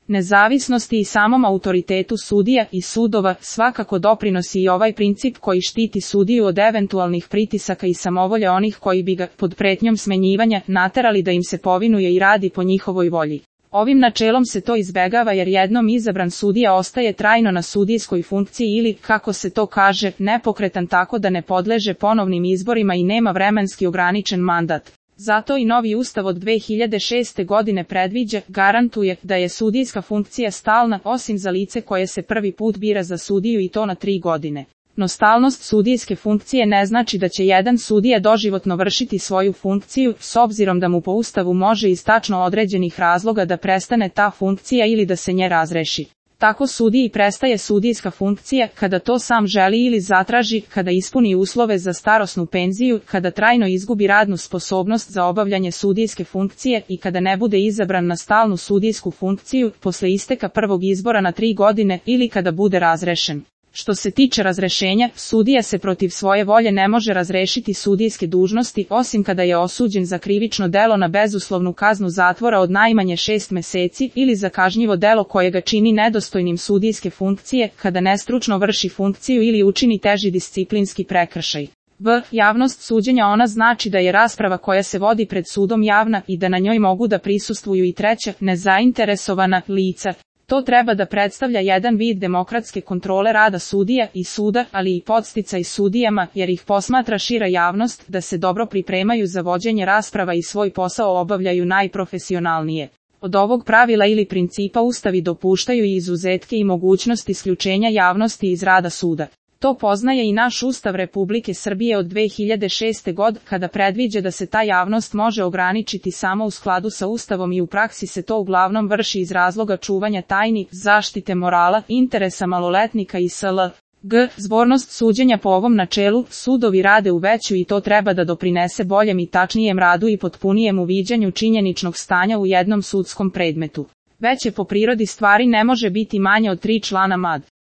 Nezavisnosti i samom autoritetu sudija i sudova svakako doprinosi i ovaj princip koji štiti sudiju od eventualnih pritisaka i samovolje onih koji bi ga, pod pretnjom smenjivanja, naterali da im se povinuje i radi po njihovoj volji. Ovim načelom se to izbegava jer jednom izabran sudija ostaje trajno na sudijskoj funkciji ili, kako se to kaže, nepokretan tako da ne podleže ponovnim izborima i nema vremenski ograničen mandat. Zato i novi ustav od 2006. godine predviđa, garantuje, da je sudijska funkcija stalna, osim za lice koje se prvi put bira za sudiju i to na 3 godine. No stalnost sudijske funkcije ne znači da će jedan sudija doživotno vršiti svoju funkciju, s obzirom da mu po ustavu može iz tačno određenih razloga da prestane ta funkcija ili da se nje razreši. Tako sudiji prestaje sudijska funkcija kada to sam želi ili zatraži, kada ispuni uslove za starosnu penziju, kada trajno izgubi radnu sposobnost za obavljanje sudijske funkcije i kada ne bude izabran na stalnu sudijsku funkciju posle isteka prvog izbora na 3 godine ili kada bude razrešen. Što se tiče razrešenja, sudija se protiv svoje volje ne može razrešiti sudijske dužnosti osim kada je osuđen za krivično delo na bezuslovnu kaznu zatvora od najmanje 6 meseci ili za kažnjivo delo koje ga čini nedostojnim sudijske funkcije, kada nestručno vrši funkciju ili učini teži disciplinski prekršaj. Javnost suđenja ona znači da je rasprava koja se vodi pred sudom javna i da na njoj mogu da prisustvuju i treća, nezainteresovana lica. To treba da predstavlja jedan vid demokratske kontrole rada sudija i suda, ali i podsticaj sudijama, jer ih posmatra šira javnost, da se dobro pripremaju za vođenje rasprava i svoj posao obavljaju najprofesionalnije. Od ovog pravila ili principa ustavi dopuštaju i izuzetke i mogućnost isključenja javnosti iz rada suda. To poznaje i naš Ustav Republike Srbije od 2006. godine, kada predviđa da se ta javnost može ograničiti samo u skladu sa Ustavom i u praksi se to uglavnom vrši iz razloga čuvanja tajni, zaštite morala, interesa maloletnika i sl. Zbornost suđenja po ovom načelu, sudovi rade u veću i to treba da doprinese boljem i tačnijem radu i potpunijem uviđanju činjeničnog stanja u jednom sudskom predmetu. Veće po prirodi stvari ne može biti manje od 3 člana mad.